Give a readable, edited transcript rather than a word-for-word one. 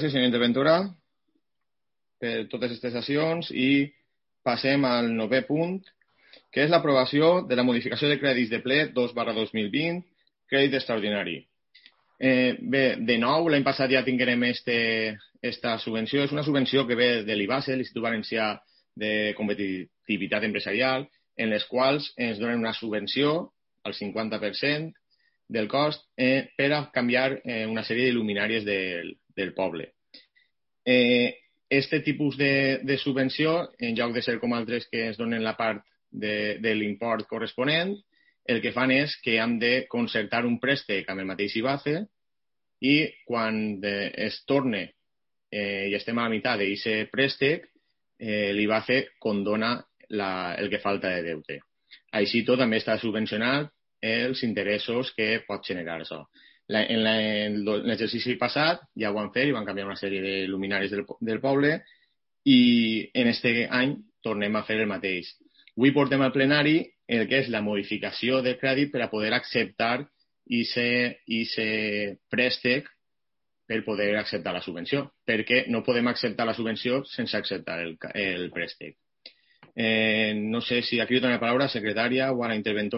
Gràcies, senyor Interventura, per totes aquestes sessions i passem al 9è punt, que és l'aprovació de la modificació de crèdits de ple 2/2020, crèdit extraordinari. Bé, de nou, l'any passat ja tinguérem esta subvenció. És una subvenció que ve de l'IBASE, l'Institut Valencià de Competitivitat Empresarial, en les quals ens donen una subvenció al 50% del cost per a canviar una sèrie d'il·luminàries del poble. Este tipus de subvenció, en lloc de ser com altres que ens donen la part de l'import corresponent, el que fan és que hem de concertar un préstec amb el mateix IBACE i quan es torne i estem a la meitat d'aquest préstec, l'IBACE condona el que falta de deute. Així tot també està subvencionat els interessos que pot generar això. En l'exercici passat ja ho van fer i van canviar una sèrie de luminaris del poble i en aquest any tornem a fer el mateix. Avui portem al plenari el que és la modificació de crèdit per a poder acceptar aquest préstec per poder acceptar la subvenció, perquè no podem acceptar la subvenció sense acceptar el préstec. No sé si aquí li dono la paraula, secretària, o a la interventora.